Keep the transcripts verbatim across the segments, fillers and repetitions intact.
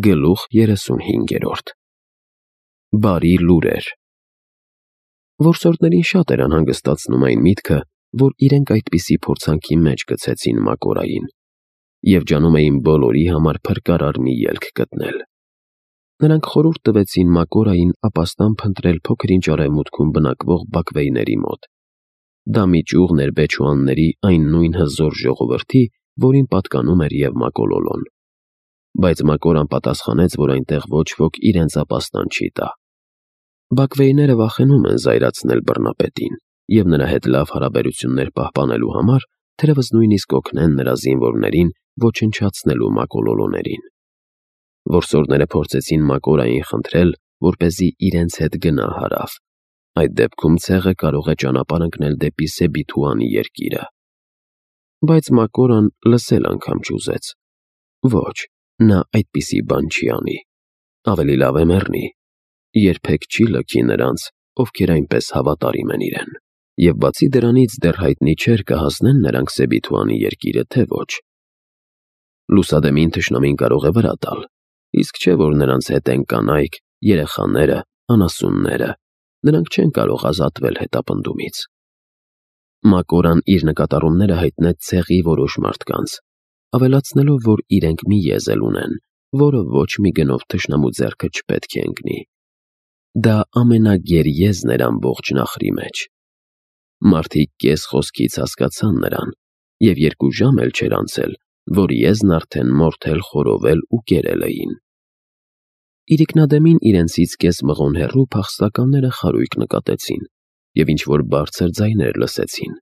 Գլուխ երեսունհինգերորդ Բարի լուրեր Որսորդներին շատ էր անհանգստացնում այն միտքը, որ իրենք այդպիսի փորձանքի մեջ գցեցին Մակորային և ջանում էին բոլորի համար փրկարար մի ելք գտնել։ Նրանք խորհուրդ տվեցին Մակորային ապաստան փնտրել փոքր-ինչ արևմուտքում բնակվող բաքվեյների մոտ։ Դա մի ճյուղն էր Բեչուանների այն նույն հզոր ժողովրդի, որին պատկանում էր և Մակոլոլոն։ Բայց Մակորան պատասխանեց, որ այնտեղ ոչ ոք իրենց ապաստան չի տա։ Բաքվեյները վախենում են զայրացնել բռնապետին և նրա հետ լավ հարաբերություններ պահպանելու համար թերևս նույնիսկ օգնեն նրա զինվորներին ոչնչացնելու մակոլոլոներին։ Որսորդները փորձեցին Մակորային խնդրել, որպեսզի իրենց հետ գնա հարավ, այդ դեպքում ցեղը կարող է ճանապարհ ընկնել դեպի Սեբիթուանի երկիրը։ Բայց Մակորան լսել անգամ չուզեց։ Ոչ, նա այդպիսի բան չի անի։ Ավելի լավ է մեռնի։ Երբեք չի լքի նրանց, ովքեր այնպես հավատարիմ են իրեն։ Եվ բացի դրանից դեռ հայտնի չէր կհասնեն նրանք Սեբիթուանի երկիրը, թե ոչ։ Լուսադեմին թշնամին կարող է վրա տալ, իսկ չէ որ նրանց հետ են կանայք, երեխաները, անասունները, նրանք չեն կարող ազատվել հետապնդումից։ Մակորան իր նկատառումները հայտնեց ցեղի որոշ մարդկանց, ավելացնելով, որ իրենք մի եզել ունեն, որը ոչ մի գնով թշնամու ձեռքը չպետք է ընկնի։ Դա ամենագեր եզն էր ամբողջ նախրի մեջ։ Մարդիկ կես խոսքից հասկացան նրան, և երկու ժամ էլ չէր անցել, որ եզն արդեն մորթել, խորովել ու կերել էին։ Իրիկնադեմին իրենցից կես մղոն հեռու փախստականները խարույկ նկատեցին և ինչ-որ բարձր ձայներ լսեցին։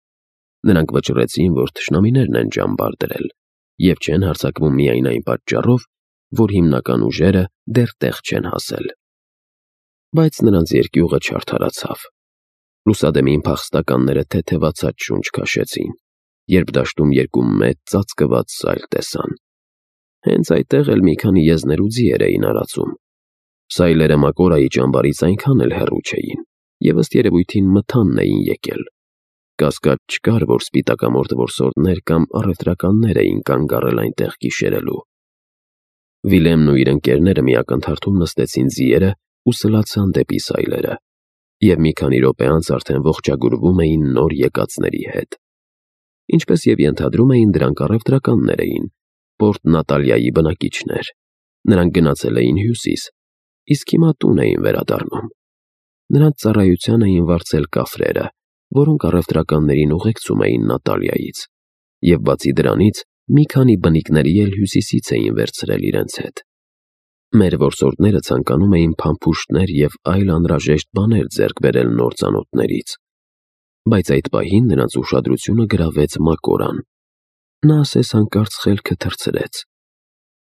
Նրանք վճռեցին, որ թշնամիներն են ճամբար դրել և չեն հարձակվում միայն այն պատճառով, որ հիմնական ուժերը դեռ տեղ չեն հասել։ Բայց նրանց երկյուղը չարդարացավ։ Լուսադեմին փախստականները թեթևացած շունչ քաշեցին, երբ դաշտում երկու մեծ ծածկված սայլ տեսան։ Հենց այդտեղ էլ մի քանի եզներ ու ձիեր էին արածում։ Սայլերը Մակորայի ճամբարից այնքան էլ հեռու չէին, և ըստ երևույթին մթանն էին եկել։ Կասկած չկար, որ սպիտակամորթ որսորդներ կամ առևտրականներ էին կանգ առել այնտեղ գիշերելու։ Վիլեմն ու իր ընկերները մի ակնթարթում նստեցին ձիերը ու սլացան դեպի սայլերը, և մի քանի րոպե անց արդեն ողջագուրվում էին նոր եկածների հետ։ Ինչպես և ենթադրում էին, դրանք առևտրականներ էին, Պորտ Նատալիայի բնակիչներ։ Նրանք գնացել էին հյուսիս, իսկ հիմա տուն էին վերադառնում։ Նրանց ծառայության էին վարձել կաֆրերը, որոնք առևտրականներին ուղեկցում էին Նատալիայից, և բացի դրանից մի քանի բնիկների էլ հյուսիսից էին վերցրել իրենց հետ։ Մեր որսորդները ցանկանում էին փամփուշտներ և այլ անհրաժեշտ բաներ ձեռք բերել նոր ծանոթներից, բայց այդ պահին նրանց ուշադրությունը գրավեց Մակորան։ Նա ասես հանկարծ խելքը թռցրեց։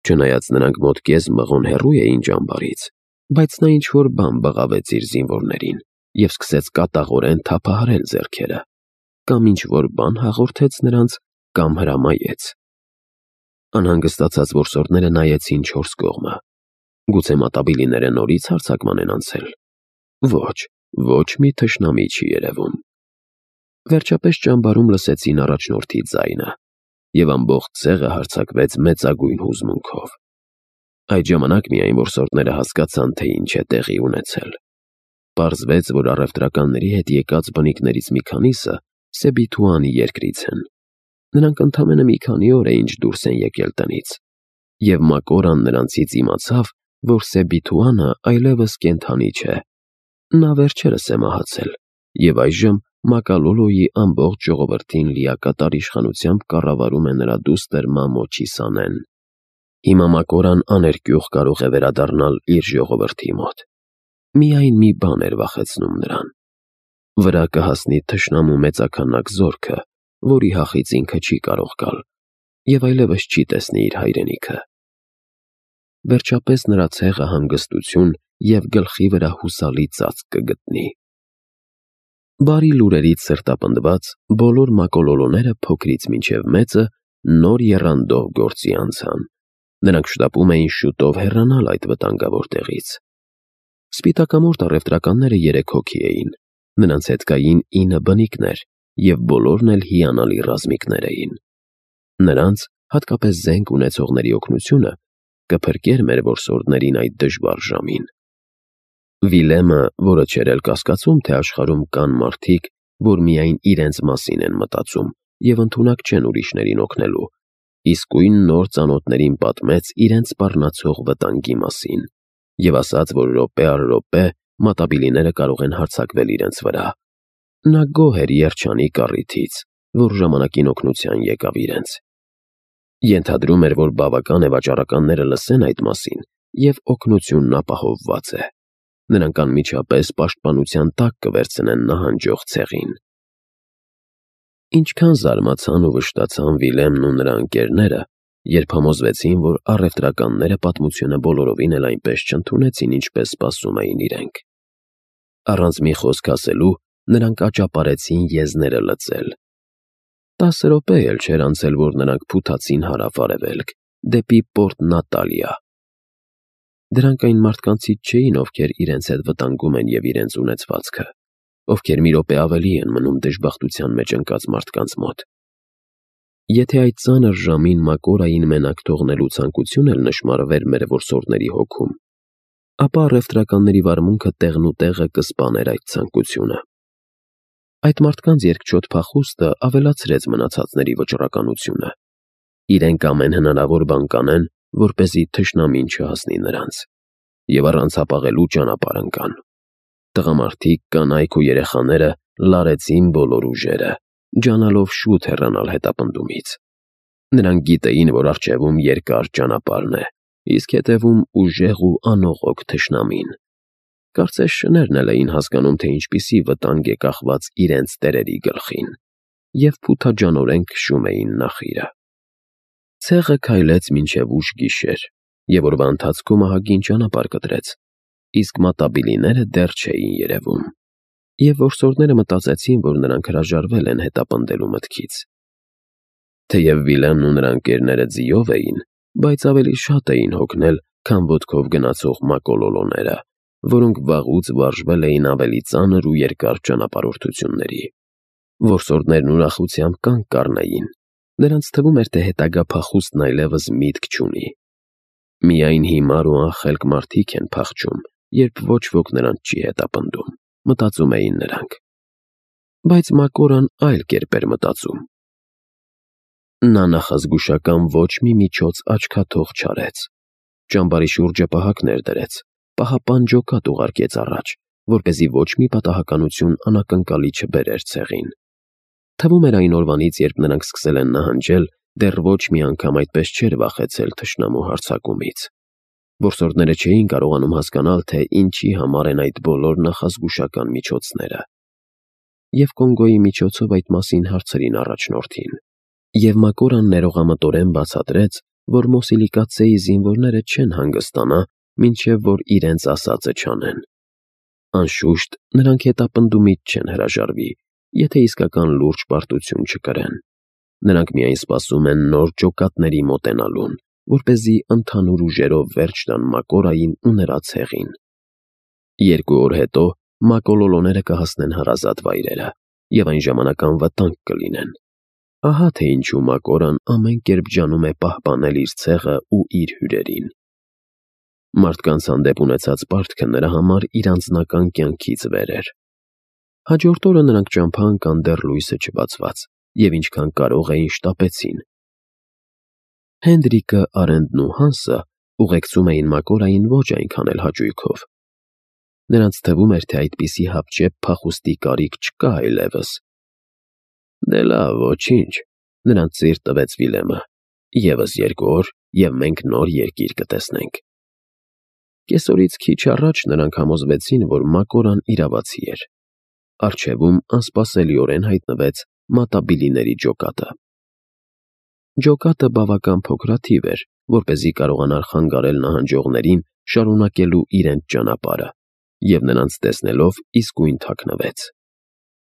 Չնայած նրանք մոտ կես մղոն հեռու էին ճամբարից, բայց նա ինչ-որ բան բղավեց իր զինվորներին և սկսեց կատաղորեն թափահարել ձեռքերը, կամ ինչ-որ բան հաղորդեց նրանց, կամ հրամայեց։ Անհանգստացած որսորդները նայեցին չորս կողմը։ Գուցե մատաբիլիները նորից հարձակման են անցել։ Ոչ, ոչ մի թշնամի չի երևում։ Վերջապես ճամբարում լսեցին առաջնորդի ձայնը, և ամբողջ ցեղը հարձակվեց մեծագույն հուզմունքով։ Այդ ժամանակ միայն որսորդները հասկացան, թե ինչ է տեղի ունեցել։ Պարզվեց, որ առևտրականների հետ եկած բնիկներից մի քանիսը Սեբիթուանի երկրից են։ Նրանք ընդամենը մի քանի օր է ինչ դուրս են եկել տնից, և Մակորան նրանցից իմացավ, որ Սեբիթուանը այլևս կենդանի չէ։ Նա վերջերս է մահացել, և այժմ Մակալոլոյի ամբողջ ժողովրդին լիակատար իշխանությամբ կառավարում է նրա դուստր Մամո Չիսանեն։ Հիմա Մակորան աներկյուղ կարող է վերադառնալ իր ժողովրդի մոտ։ Միայն մի բան էր վախեցնում նրան։ Վրա կհասնի թշնամու մեծաքանակ զորքը, որի հախից ինքը չի կարող գալ, և այլևս չի տեսնի իր հայրենիքը։ Վերջապես նրա ցեղը հանգստություն և գլխի վրա հուսալի ծածկ կգտնի։ Բարի լուրերից սրտապնդված բոլոր մակոլոլոները փոքրից մինչև մեծը նոր եռանդով գործի անցան։ Նրանք շտապում էին շուտով հեռանալ այդ վտանգավոր տեղից։ Սպիտակամորթ առևտրականները երեք հոգի էին։ Նրանց հետ կային ինը բնիկներ, և բոլորն էլ հիանալի ռազմիկներ էին։ Նրանց, հատկապես զենք ունեցողների օգնությունը կփրկեր մեր որսորդներին այդ դժվար ժամին։ Վիլեմը, որը չէր էլ կասկածում, թե աշխարհում կան մարդիկ, որ միայն իրենց մասին են մտածում և ընդունակ չեն ուրիշներին օգնելու, իսկույն նոր ծանոթներին պատմեց իրենց սպառնացող վտանգի մասին և ասաց, որ րոպե առ րոպե մատաբիլիները կարող են հարձակվել իրենց վրա։ Նա գոհ էր երջանիկ առիթից, որ ժամանակին օգնության եկավ իրենց։ Ենթադրում էր, որ բավական է վաճառականները լսեն այդ մասին, և օգնությունն ապահովված է։ Նրանք անմիջապես պաշտպանության տակ կվերցնեն նահանջող ցեղին։ Ինչքան զարմացան ու վշտացան Վիլեմն ու նրա ընկերները, երբ համոզվեցին, որ առևտրականները պատմությունը բոլորովին էլ այնպես չընդունեցին, ինչպես սպասում էին իրենք։ Առանց մի խոսք ասելու, նրանք աճապարեցին եզները լծել։ Տասը րոպե էլ չէր անցել, որ նրանք փութացին հարավ-արևելք, դեպի Պորտ Նատալիա։ Դրանք այն մարդկանցից չէին, ովքեր իրենց հետ վտանգում են և իրենց ունեցվածքը, ովքեր մի րոպե ավելի են մնում դժբախտության մեջ ընկած մարդկանց մոտ։ Եթե այդ ծանր ժամին Մակորային մենակ թողնելու ցանկություն էլ նշմարվեր մեր որսորդների հոգում, ապա առևտրականների վարմունքը տեղնուտեղը կսպաներ այդ ցանկությունը։ Այդ մարդկանց երկչոտ փախուստը ավելացրեց մնացածների վճռականությունը։ Իրենք ամեն հնարավոր բան կանեն, որպեսզի թշնամին չհասնի նրանց, և առանց հապաղելու ճանապարհ ընկան։ Տղամարդիկ, կանայք ու երեխաները լարեցին բոլոր ուժերը, ջանալով շուտ հեռանալ հետապնդումից։ Նրանք գիտեին, որ առջևում երկար ճանապարհն է, իսկ հետևում ուժեղ ու անողոք թշնամին։ Կարծես շներն էլ էին հասկանում, թե ինչպիսի վտանգ է կախված իրենց տերերի գլխին, և փութաջանորեն քշում էին նախիրը։ Ցեղը քայլեց մինչև ուշ գիշեր, և օրվա ընթացքում ահագին ճանապարհ կտրեց, իսկ մատաբիլիները դեռ չէին երևում, և որսորդները մտածեցին, որ նրանք հրաժարվել են հետապնդելու մտքից։ Թեև Վիլեմն ու նրա ընկերները ձիով էին, բայց ավելի շատ էին հոգնել, քան ոտքով գնացող մակոլոլոները, որոնք վաղուց վարժվել էին ավելի ծանր ու երկար ճանապարհորդությունների։ Որսորդներն ուրախությամբ կանգ կառնեին, նրանց թվում էր, թե հետագա փախուստն այլևս միտք չունի։ Միայն հիմար ու անխելք մարդիկ են փախչում, երբ ոչ ոք նրանց չի հետապնդում, մտածում էին նրանք։ Բայց Մակորան այլ կերպ էր մտածում։ Նա նախազգուշական ոչ մի միջոց աչքաթող չարեց։ Ճամբարի շուրջը պահակներ դրեց, պահապան ջոկատ ուղարկեց առաջ, որպեսզի ոչ մի պատահականություն անակնկալի չբերեր ցեղին։ Թվում էր այն օրվանից, երբ նրանք սկսել են նահանջել, դեռ ոչ մի անգամ այդպես չէր վախեցել թշնամու հարձակումից։ Որսորդները չէին կարողանում հասկանալ, թե ինչի համար են այդ բոլոր նախազգուշական միջոցները։ Եվ Կոնգոյի միջոցով այդ մասին հարցրին առաջնորդին։ Եվ Մակորան ներողամտորեն բացատրեց, որ Մոսիլիկացեի զինվորները չեն հանգստանա, մինչև որ իրենց ասածը չանեն։ Անշուշտ, նրանք հետապնդումից չեն հրաժարվի, եթե իսկական լուրջ պարտություն չկրեն։ Նրանք միայն սպասում են նոր ջոկատների մոտենալուն, որպեսզի ընդհանուր ուժերով վերջ տան Մակորային ու նրա ցեղին։ Երկու օր հետո մակոլոլոները կհասնեն հարազատ վայրերը, և այն ժամանակ անվտանգ կլինեն։ Ահա թե ինչու Մակորան ամեն կերպ ջանում է պահպանել իր ցեղը ու իր հյուրերին։ Մարդկանց հանդեպ ունեցած պարտքը նրա համար իր անձնական կյանքից վեր էր։ Հաջորդ օրը նրանք ճամփա ընկան դեռ լույսը չբացված, և ինչքան կարող էին շտապեցին։ Հենդրիկը, Արենդն ու Հանսը ուղեկցում էին Մակորային ոչ այնքան էլ հաճույքով։ Նրանց թվում էր, թե այդպիսի հապճեպ փախուստի կարիք չկա այլևս։ Դե լավ, ոչինչ, նրանց ծիր տվեց Վիլեմը։ Եվս երկու օր, և մենք նոր երկիր կտեսնենք։ Կեսօրից քիչ առաջ նրանք համոզվեցին, որ Մակորան իրավացի էր։ Առջևում անսպասելիորեն հայտնվեց մատաբիլիների ջոկատը։ Ջոկատը բավական փոքրաթիվ էր, որպեսզի կարողանար խանգարել նահանջողներին շարունակելու իրենց ճանապարհը, և նրանց տեսնելով իսկույն թաքնվեց։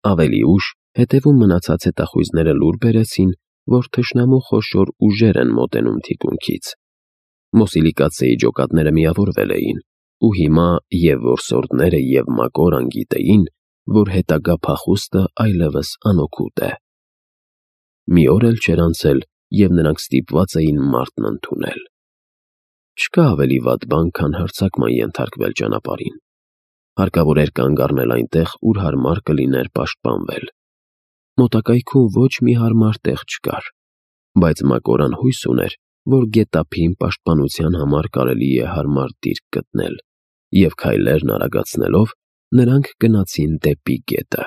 Ավելի ուշ հետևում մնացած հետախույզները լուր բերեցին, որ թշնամու խոշոր ուժեր են մոտենում թիկունքից։ Մոսիլիկացեի ջոկատները միավորվել էին, ու հիմա և որսորդները, և Մակորան գիտեին, որ հետագա փախուստը այլևս անօգուտ է։ Մի օր էլ չէր անցել, և նրանք ստիպված էին մարտն ընդունել։ Չկա ավելի վատ բան, քան հարձակման ենթարկվել ճանապարհին։ Հարկավոր էր կանգ առնել այնտեղ, ուր հարմար կլիներ պաշտպանվել։ Մոտակայքում ոչ մի հարմար տեղ չկար, բայց Մակորան հույս ուներ, որ գետափին պաշտպանության համար կարելի է հարմար դիրք գտնել, և քայլերն արագացնելով՝ նրանք գնացին դեպի գետը։